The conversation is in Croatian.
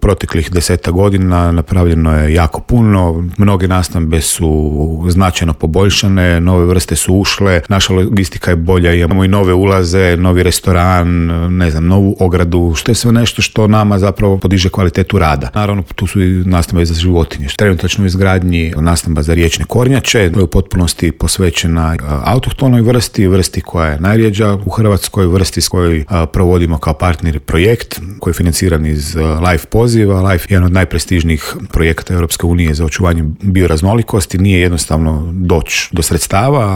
Proteklih 10 godina napravljeno je jako puno, mnoge nastambe su značajno poboljšane, nove vrste su ušle, naša logistika je bolja, imamo i nove ulaze, novi restoran, novu ogradu, što je sve nešto što nama zapravo podiže kvalitetu rada. Naravno, tu su i nastambe za životinje. Trenutačno u izgradnji nastamba za riječne kornjače, u potpunosti posvećena autohtonoj vrsti koja je najrjeđa u Hrvatskoj, vrsti s kojoj provodimo kao partner projekt koji je financiran iz LIFE poziva. LIFE je jedan od najprestižnijih projekata Europske unije za očuvanje bioraznolikosti. Nije jednostavno doći do sredstava,